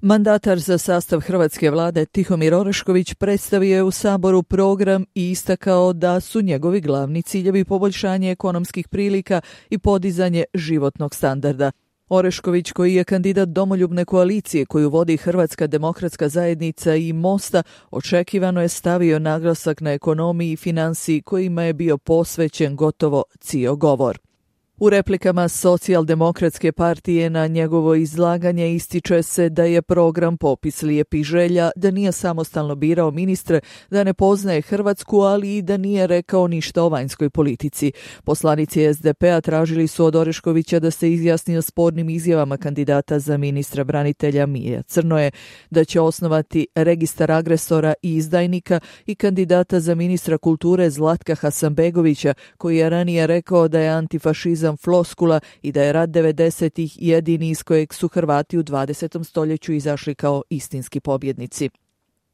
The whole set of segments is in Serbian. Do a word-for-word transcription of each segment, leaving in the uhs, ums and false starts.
Mandatar za sastav hrvatske vlade Tihomir Orešković predstavio je u Saboru program i istakao da su njegovi glavni ciljevi poboljšanje ekonomskih prilika i podizanje životnog standarda. Orešković, koji je kandidat domoljubne koalicije koju vodi Hrvatska demokratska zajednica i Mosta, očekivano je stavio naglasak na ekonomiji i finansiji kojima je bio posvećen gotovo cijel govor. U replikama Socijaldemokratske partije na njegovo izlaganje ističe se da je program popis lijepih želja, da nije samostalno birao ministre, da ne poznaje Hrvatsku, ali i da nije rekao ništa o vanjskoj politici. Poslanici es de pe-a tražili su od Oreškovića da se izjasni o spornim izjavama kandidata za ministra branitelja Mije Crnoje, da će osnovati registar agresora i izdajnika i kandidata za ministra kulture Zlatka Hasanbegovića, koji je ranije rekao da je antifašizam floskula i da je rat devedesetih jedini iz kojeg su Hrvati u dvadesetom stoljeću izašli kao istinski pobjednici.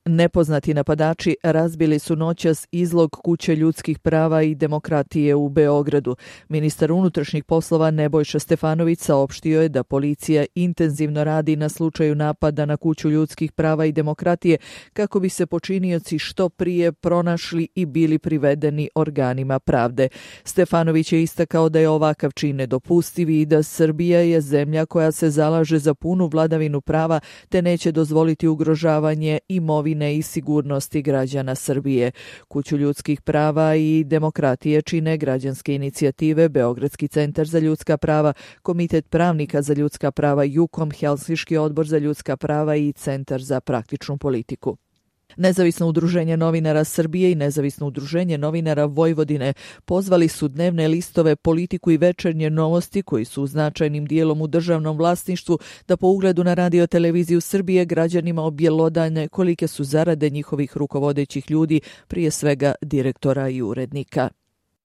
Nepoznati napadači razbili su noćas izlog kuće ljudskih prava i demokratije u Beogradu. Ministar unutrašnjih poslova Nebojša Stefanović saopštio je da policija intenzivno radi na slučaju napada na kuću ljudskih prava i demokratije kako bi se počinioci što prije pronašli i bili privedeni organima pravde. Stefanović je istakao da je ovakav čin nedopustiv i da Srbija je zemlja koja se zalaže za punu vladavinu prava te neće dozvoliti ugrožavanje imovine i sigurnosti građana Srbije. Kuću ljudskih prava i demokratije čine građanske inicijative, Beogradski centar za ljudska prava, Komitet pravnika za ljudska prava Jukom, Helsinški odbor za ljudska prava i Centar za praktičnu politiku. Nezavisno udruženje novinara Srbije i Nezavisno udruženje novinara Vojvodine pozvali su dnevne listove Politiku i Večernje novosti, koji su značajnim dijelom u državnom vlasništvu, da po ugledu na Radio-televiziju Srbije građanima objelodane kolike su zarade njihovih rukovodećih ljudi, prije svega direktora i urednika.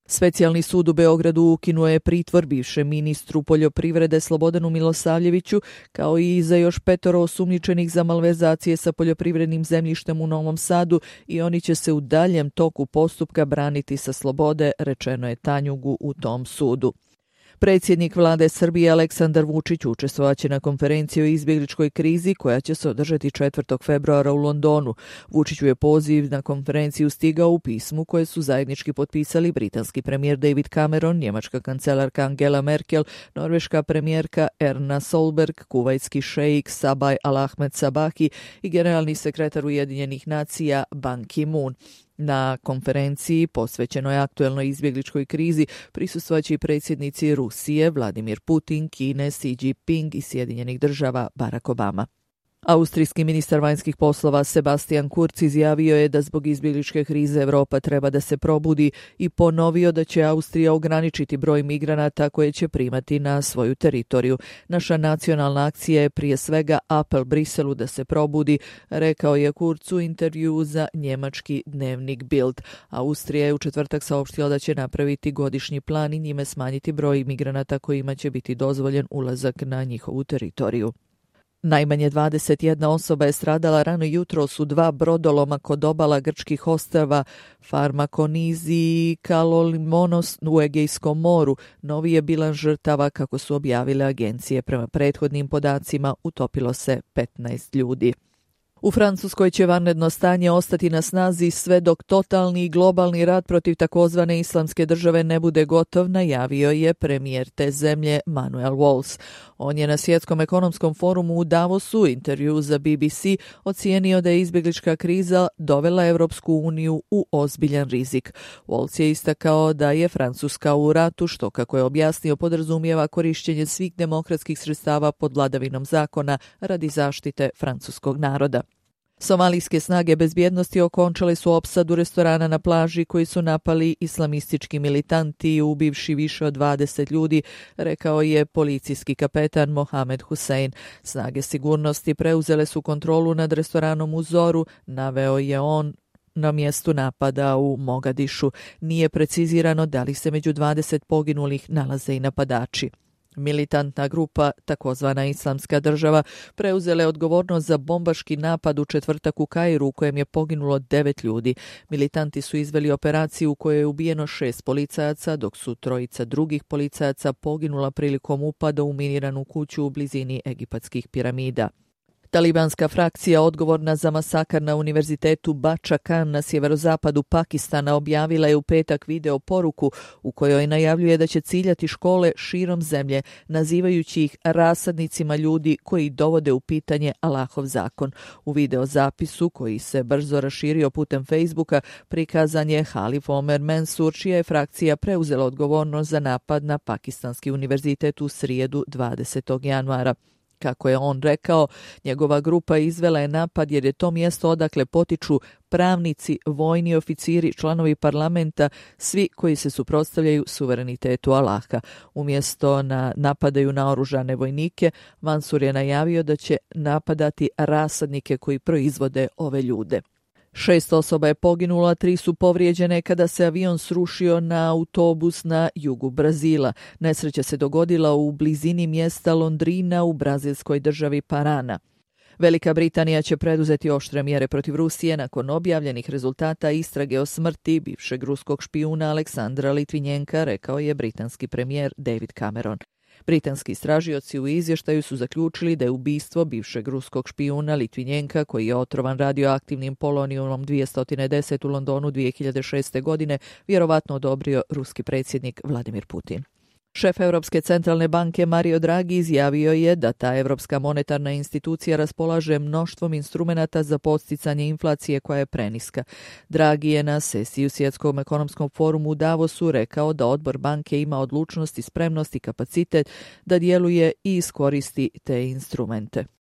Specijalni sud u Beogradu ukinuo je pritvor bivšem ministru poljoprivrede Slobodanu Milosavljeviću, kao i za još petoro osumnjičenih za malverzacije sa poljoprivrednim zemljištem u Novom Sadu i oni će se u daljem toku postupka braniti sa slobode, rečeno je Tanjugu u tom sudu. Predsjednik vlade Srbije Aleksandar Vučić učestvovaće na konferenciji o izbjegličkoj krizi koja će se održati četvrtog februara u Londonu. Vučiću je poziv na konferenciju stigao u pismu koje su zajednički potpisali britanski premijer David Cameron, njemačka kancelarka Angela Merkel, norveška premijerka Erna Solberg, kuvajtski šejik Sabaj Al-Ahmed Sabaki i generalni sekretar Ujedinjenih nacija Ban Ki-moon. Na konferenciji posvećenoj aktuelnoj izbjegličkoj krizi prisustvovaće i predsjednici Rusije Vladimir Putin, Kine Xi Jinping i Sjedinjenih država Barack Obama. Austrijski ministar vanjskih poslova Sebastian Kurz izjavio je da zbog izbjegličke krize Evropa treba da se probudi i ponovio da će Austrija ograničiti broj migranata koje će primati na svoju teritoriju. Naša nacionalna akcija je prije svega apel Briselu da se probudi, rekao je Kurz u intervjuu za njemački dnevnik Bild. Austrija je u četvrtak saopštila da će napraviti godišnji plan i njime smanjiti broj migranata kojima će biti dozvoljen ulazak na njihovu teritoriju. Najmanje dvadeset jedna osoba je stradala rano jutros u dva brodoloma kod obala grčkih ostrva Farmakonizi i Kalolimonos u Egejskom moru. Novi je bilan žrtava, kako su objavile agencije. Prema prethodnim podacima utopilo se petnaest ljudi. U Francuskoj će vanredno stanje ostati na snazi sve dok totalni i globalni rat protiv takozvane islamske države ne bude gotov, najavio je premijer te zemlje Manuel Valls. On je na Svjetskom ekonomskom forumu u Davosu u intervju za B B C ocijenio da je izbjeglička kriza dovela Evropsku uniju u ozbiljan rizik. Valls je istakao da je Francuska u ratu, što, kako je objasnio, podrazumijeva korišćenje svih demokratskih sredstava pod vladavinom zakona radi zaštite francuskog naroda. Somalijske snage bezbjednosti okončale su opsadu restorana na plaži koji su napali islamistički militanti, ubivši više od dvadeset ljudi, rekao je policijski kapetan Mohamed Hussein. Snage sigurnosti preuzele su kontrolu nad restoranom u Zoru, naveo je on na mjestu napada u Mogadišu. Nije precizirano da li se među dvadeset poginulih nalaze i napadači. Militantna grupa, takozvana Islamska država, preuzela je odgovornost za bombaški napad u četvrtak u Kairu u kojem je poginulo devet ljudi. Militanti su izveli operaciju u kojoj je ubijeno šest policajaca, dok su trojica drugih policajaca poginula prilikom upada u miniranu kuću u blizini egipatskih piramida. Talibanska frakcija odgovorna za masakar na univerzitetu Bacha Khan na sjeverozapadu Pakistana objavila je u petak video poruku u kojoj najavljuje da će ciljati škole širom zemlje, nazivajući ih rasadnicima ljudi koji dovode u pitanje Allahov zakon. U video zapisu, koji se brzo raširio putem Facebooka, prikazan je Halif Omer Mensur, čija je frakcija preuzela odgovornost za napad na pakistanski univerzitet u srijedu dvadesetog januara. Kako je on rekao, njegova grupa izvela je napad jer je to mjesto odakle potiču pravnici, vojni oficiri, članovi parlamenta, svi koji se suprotstavljaju suverenitetu Allaha. Umjesto na napadaju naoružane vojnike, Mansur je najavio da će napadati rasadnike koji proizvode ove ljude. Šest osoba je poginulo, a tri su povrijeđene kada se avion srušio na autobus na jugu Brazila. Nesreća se dogodila u blizini mjesta Londrina u brazilskoj državi Parana. Velika Britanija će preduzeti oštre mjere protiv Rusije nakon objavljenih rezultata istrage o smrti bivšeg ruskog špijuna Aleksandra Litvinjenka, rekao je britanski premijer David Cameron. Britanski istražioci u izvještaju su zaključili da je ubistvo bivšeg ruskog špijuna Litvinjenka, koji je otrovan radioaktivnim polonijumom dvjesto deset u Londonu dvije hiljade šeste. godine, vjerovatno odobrio ruski predsjednik Vladimir Putin. Šef Europske centralne banke Mario Draghi izjavio je da ta Europska monetarna institucija raspolaže mnoštvom instrumenata za podsticanje inflacije koja je preniska. Draghi je na sesiji u Svjetskom ekonomskom forumu u Davosu rekao da odbor banke ima odlučnost i spremnost i kapacitet da djeluje i iskoristi te instrumente.